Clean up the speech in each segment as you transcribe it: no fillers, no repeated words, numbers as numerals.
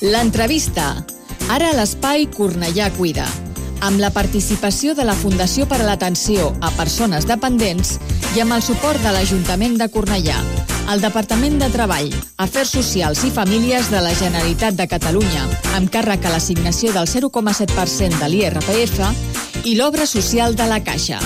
L'entrevista. Ara a l'espai Cornellà Cuida, amb la participació de la Fundació per a l'Atenció a Persones Dependents i amb el suport de l'Ajuntament de Cornellà, el Departament de Treball, Afers Socials i Famílies de la Generalitat de Catalunya, amb càrrec a l'assignació del 0,7% de l'IRPF i l'Obra Social de la Caixa.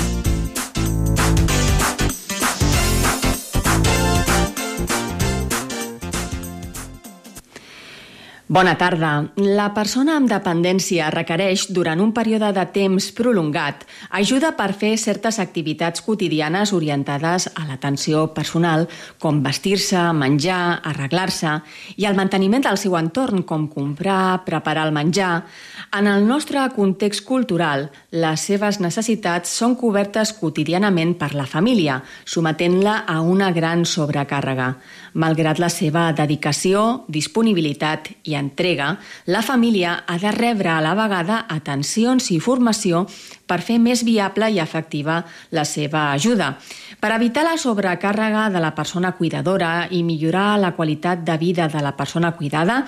Bona tarda. La persona amb dependència requereix, durant un període de temps prolongat, ajuda per fer certes activitats quotidianes orientades a l'atenció personal, com vestir-se, menjar, arreglar-se, i el manteniment del seu entorn, com comprar, preparar el menjar. En el nostre context cultural, les seves necessitats són cobertes quotidianament per la família, sometent-la a una gran sobrecàrrega. Malgrat la seva dedicació, disponibilitat i entrega, la família ha de rebre a la vegada atencions i formació per fer més viable i efectiva la seva ajuda. Per evitar la sobrecàrrega de la persona cuidadora i millorar la qualitat de vida de la persona cuidada,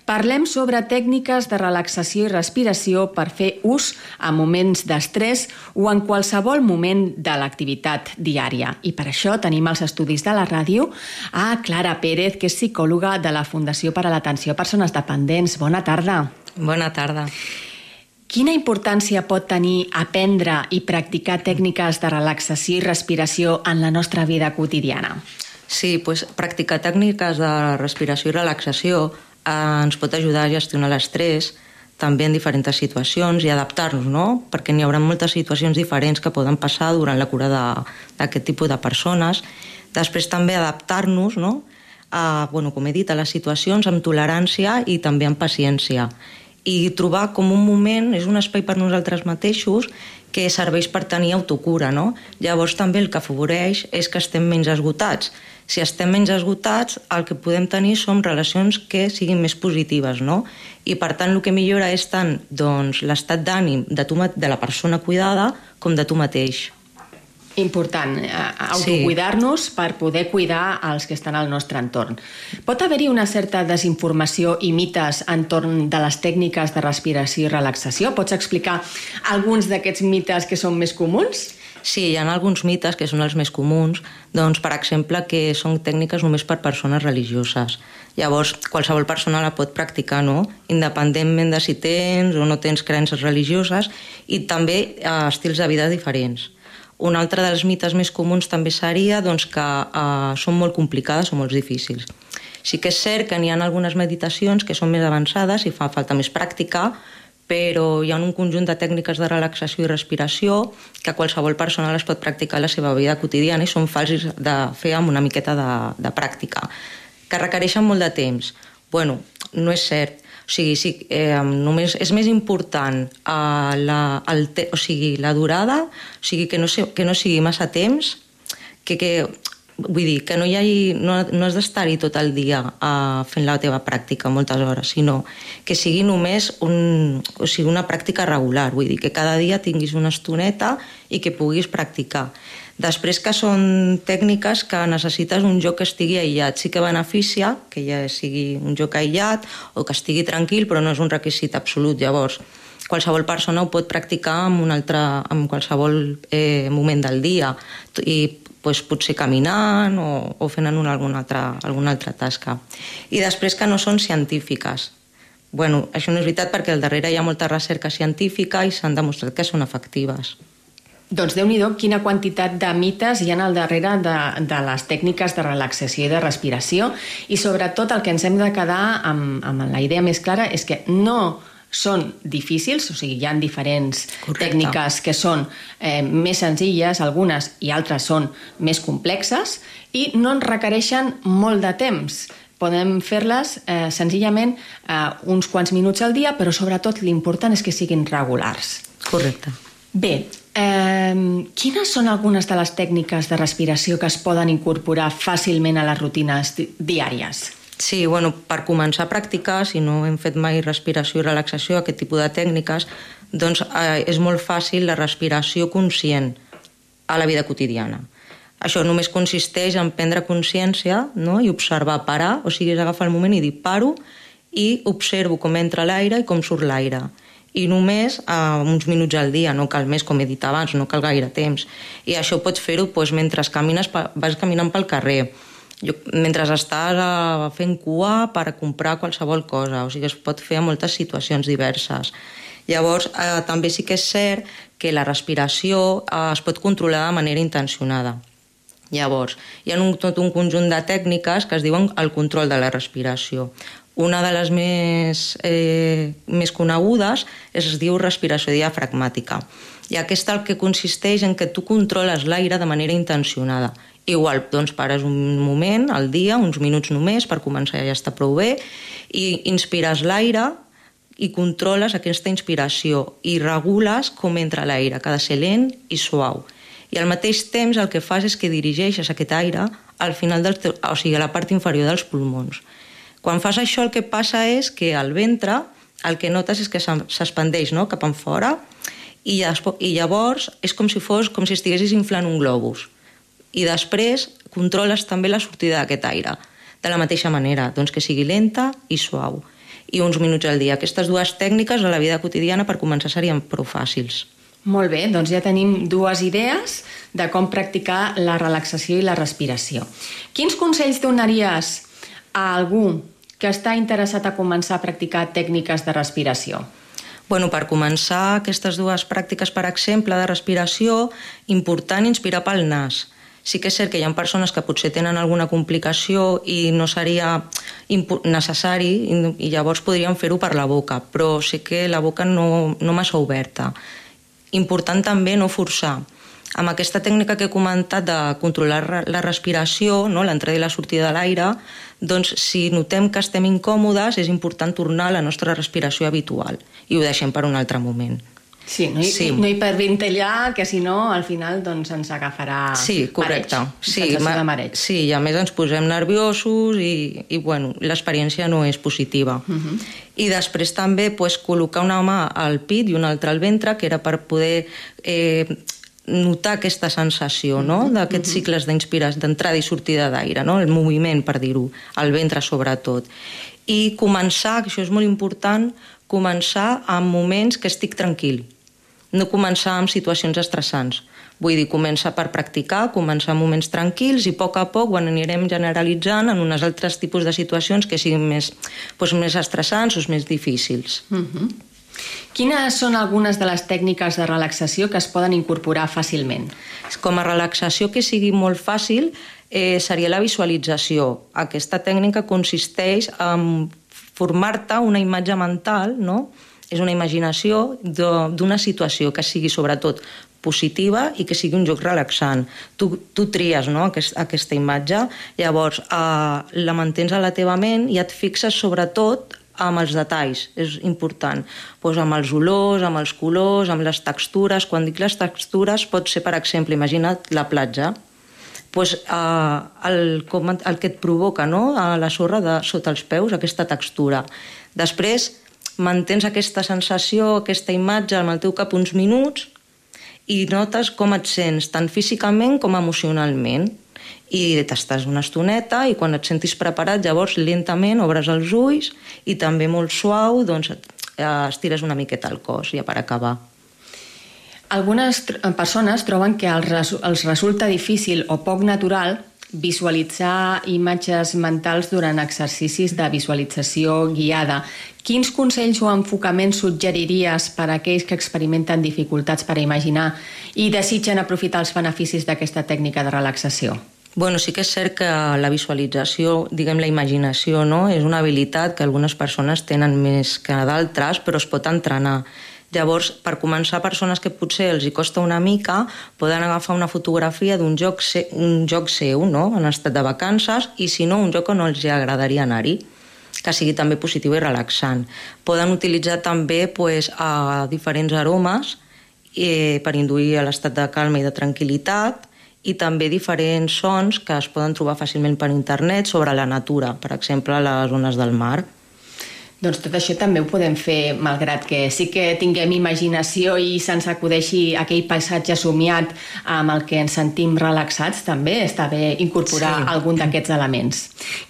parlem sobre tècniques de relaxació i respiració per fer ús a moments d'estrès o en qualsevol moment de l'activitat diària. I per això tenim als estudis de la ràdio a Clara Pérez, que és psicòloga de la Fundació per a l'Atenció a Persones Dependents. Bona tarda. Bona tarda. Quina importància pot tenir aprendre i practicar tècniques de relaxació i respiració en la nostra vida quotidiana? Sí, practicar tècniques de respiració i relaxació ens pot ajudar a gestionar l'estrès també en diferents situacions i adaptar-nos, no? Perquè n'hi haurà moltes situacions diferents que poden passar durant la cura d'aquest tipus de persones. Després també adaptar-nos, no? Com he dit, a les situacions amb tolerància i també amb paciència. I trobar com un moment, és un espai per nosaltres mateixos que serveix per tenir autocura, no? Llavors també el que afavoreix és que estem menys esgotats. Si estem menys esgotats, el que podem tenir són relacions que siguin més positives, no? I per tant el que millora és tant l'estat d'ànim de la persona cuidada com de tu mateix. Important, autocuidar-nos per poder cuidar els que estan al nostre entorn. Pot haver-hi una certa desinformació i mites entorn de les tècniques de respiració i relaxació? Pots explicar alguns d'aquests mites que són més comuns? Sí, hi ha alguns mites que són els més comuns, per exemple, que són tècniques només per persones religioses. Llavors, qualsevol persona la pot practicar, no? Independentment de si tens o no tens creences religioses, i també estils de vida diferents. Un altre dels mites més comuns també seria que són molt complicades o molt difícils. Sí que és cert que n'hi ha algunes meditacions que són més avançades i fa falta més pràctica, però hi ha un conjunt de tècniques de relaxació i respiració que qualsevol persona les pot practicar a la seva vida quotidiana i són fàcils de fer amb una miqueta de pràctica. Que requereixen molt de temps? No és cert. Només és més important la durada, que no sigui massa temps, vull dir, que no has d'estar-hi tot el dia fent la teva pràctica moltes hores, sinó que sigui només una pràctica regular, vull dir, que cada dia tinguis una estoneta i que puguis practicar. Després que són tècniques que necessites un lloc que estigui aïllat. Sí que beneficia que ja sigui un lloc aïllat o que estigui tranquil, però no és un requisit absolut. Llavors, qualsevol persona ho pot practicar en qualsevol moment del dia i potser caminant o fent alguna altra tasca. I després que no són científiques. Això no és veritat perquè al darrere hi ha molta recerca científica i s'han demostrat que són efectives. Doncs Déu-n'hi-do, quina quantitat de mites hi ha al darrere de les tècniques de relaxació i de respiració, i sobretot el que ens hem de quedar amb la idea més clara és que no són difícils, hi ha diferents tècniques que són més senzilles, algunes i altres són més complexes i no ens requereixen molt de temps. Podem fer-les senzillament uns quants minuts al dia, però sobretot l'important és que siguin regulars. Correcte. Bé, quines són algunes de les tècniques de respiració que es poden incorporar fàcilment a les rutines diàries? Sí, per començar a practicar, si no hem fet mai respiració i relaxació, aquest tipus de tècniques, és molt fàcil la respiració conscient a la vida quotidiana. Això només consisteix en prendre consciència, no? I observar, parar, és agafar el moment i dir paro i observo com entra l'aire i com surt l'aire. I només uns minuts al dia, no cal més, com he dit abans, no cal gaire temps. I això pots fer-ho mentre camines, vas caminant pel carrer, mentre estàs fent cua per comprar qualsevol cosa, o sigui, es pot fer en moltes situacions diverses. Llavors, també sí que és cert que la respiració es pot controlar de manera intencionada. Llavors, hi ha tot un conjunt de tècniques que es diuen el control de la respiració. Una de les més conegudes es diu respiració diafragmàtica. I aquesta el que consisteix en que tu controles l'aire de manera intencionada. Igual, doncs pares un moment al dia, uns minuts només, per començar ja està prou bé, i inspires l'aire i controles aquesta inspiració i regules com entra l'aire, que ha de ser lent i suau. I al mateix temps el que fas és que dirigeixes aquest aire al final o sigui, a la part inferior dels pulmons. Quan fas això el que passa és que al ventre el que notes és que s'expandeix, no?, cap enfora i llavors és com si estiguessis inflant un globus. I després controles també la sortida d'aquest aire de la mateixa manera, doncs que sigui lenta i suau. I uns minuts al dia. Aquestes dues tècniques a la vida quotidiana per començar serien prou fàcils. Molt bé, doncs ja tenim dues idees de com practicar la relaxació i la respiració. Quins consells donaries a algú que està interessat a començar a practicar tècniques de respiració? Bueno, per començar aquestes dues pràctiques, per exemple, de respiració, important inspirar pel nas. Sí que és cert que hi ha persones que potser tenen alguna complicació i no seria necessari i llavors podrien fer-ho per la boca, però sí que la boca no massa oberta. Important també no forçar. Amb aquesta tècnica que he comentat de controlar la respiració, no, l'entrada i la sortida de l'aire, doncs si notem que estem incòmodes és important tornar a la nostra respiració habitual i ho deixem per un altre moment. Sí, no hiperventillar, que si no al final doncs, ens agafarà sensació de mareig. Sí, i a més ens posem nerviosos i bueno, l'experiència no és positiva. I després també col·locar una mà al pit i una altra al ventre, que era per poder notar aquesta sensació, no?, d'aquests cicles d'entrada i sortida d'aire, no?, el moviment, per dir-ho, al ventre sobretot. I començar, que això és molt important, començar en moments que estic tranquil, no començar en situacions estressants. Vull dir, començar per practicar, començar en moments tranquils i a poc ho anirem generalitzant en uns altres tipus de situacions que siguin més estressants o més difícils. Quines són algunes de les tècniques de relaxació que es poden incorporar fàcilment? Com a relaxació que sigui molt fàcil seria la visualització. Aquesta tècnica consisteix en formar-te una imatge mental, no? És una imaginació d'una situació que sigui sobretot positiva i que sigui un joc relaxant. Tu tries, no?, aquesta imatge, llavors la mantens a la teva ment i et fixes sobretot amb els detalls, és important, amb els olors, amb els colors, amb les textures. Quan dic les textures pot ser, per exemple, imagina't la platja, el que et provoca, no?, la sorra sota els peus, aquesta textura. Després mantens aquesta sensació, aquesta imatge amb el teu cap uns minuts i notes com et sents, tant físicament com emocionalment. I t'estàs una estoneta i quan et sentis preparat, llavors lentament obres els ulls i també molt suau doncs estires una miqueta el cos, ja per acabar. Algunes persones troben que els resulta difícil o poc natural visualitzar imatges mentals durant exercicis de visualització guiada. Quins consells o enfocaments suggeriries per a aquells que experimenten dificultats per imaginar i desitgen aprofitar els beneficis d'aquesta tècnica de relaxació? Bueno, sí que és cert que la visualització, diguem la imaginació, no?, és una habilitat que algunes persones tenen més que d'altres, però es pot entrenar. Llavors, per començar, persones que potser els hi costa una mica poden agafar una fotografia d'un lloc seu, no?, en estat de vacances, i si no, un lloc on els agradaria anar-hi, que sigui també positiu i relaxant. Poden utilitzar també diferents aromes per induir a l'estat de calma i de tranquil·litat, i també diferents sons que es poden trobar fàcilment per internet sobre la natura, per exemple, a les zones del mar. Doncs tot això també ho podem fer, malgrat que sí que tinguem imaginació i se'ns acudeixi aquell paisatge somiat amb el que ens sentim relaxats, també està bé incorporar algun d'aquests elements.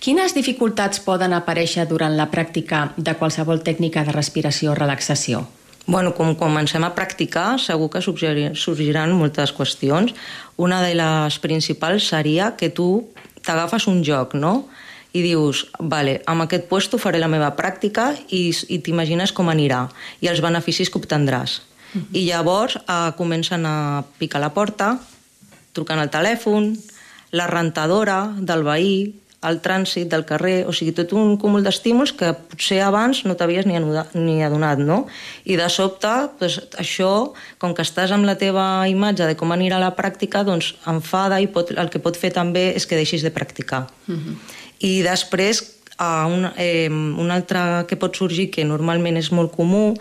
Quines dificultats poden aparèixer durant la pràctica de qualsevol tècnica de respiració o relaxació? Bueno, com comencem a practicar, segur que sorgiran moltes qüestions. Una de les principals seria que tu t'agafes un joc, no?, i dius, vale, amb aquest puesto faré la meva pràctica i t'imagines com anirà i els beneficis que obtendràs. I llavors comencen a picar la porta, trucant al telèfon, la rentadora del veí, el trànsit del carrer, o sigui, tot un cúmul d'estímuls que potser abans no t'havies ni adonat, no? I de sobte, doncs, això, com que estàs amb la teva imatge de com anirà la pràctica, doncs enfada i el que pot fer també és que deixis de practicar. I després, un altre que pot sorgir, que normalment és molt comú,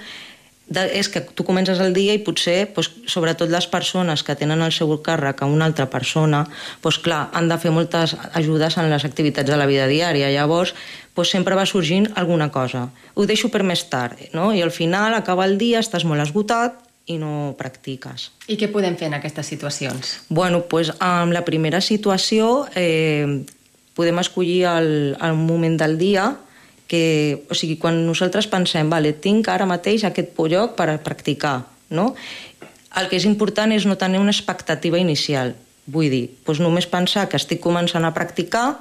és que tu comences el dia i potser, sobretot les persones que tenen al seu càrrec a una altra persona, clar, han de fer moltes ajudes en les activitats de la vida diària. Llavors, sempre va sorgint alguna cosa. Ho deixo per més tard, no? I al final acaba el dia, estàs molt esgotat i no practiques. I què podem fer en aquestes situacions? Bueno, en la primera situació podem escollir el moment del dia, o sigui, quan nosaltres pensem, vale, tinc ara mateix aquest lloc per practicar, no? El que és important és no tenir una expectativa inicial. Vull dir, només pensar que estic començant a practicar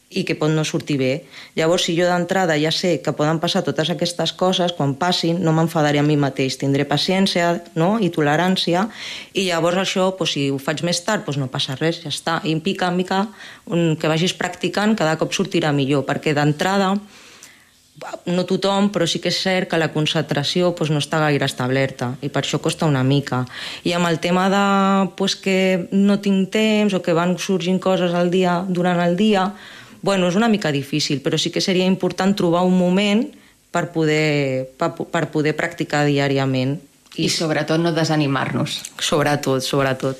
i que pot no sortir bé. Llavors, si jo d'entrada ja sé que poden passar totes aquestes coses, quan passin no m'enfadaré a mi mateix, tindré paciència, no?, i tolerància, i llavors això, si ho faig més tard, no passa res, ja està. I mica en mica, que vagis practicant, cada cop sortirà millor, perquè d'entrada no tothom, però sí que és cert que la concentració no està gaire establerta i per això costa una mica. I amb el tema de que no tinc temps o que van sorgint coses durant el dia, és una mica difícil, però sí que seria important trobar un moment per poder practicar diàriament. I sobretot no desanimar-nos. Sobretot.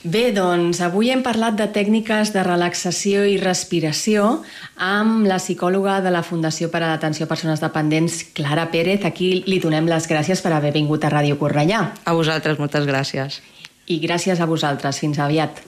Bé, doncs avui hem parlat de tècniques de relaxació i respiració amb la psicòloga de la Fundació per a l'Atenció a Persones Dependents, Clara Pérez. Aquí li donem les gràcies per haver vingut a Ràdio Cornellà. A vosaltres, moltes gràcies. I gràcies a vosaltres. Fins aviat.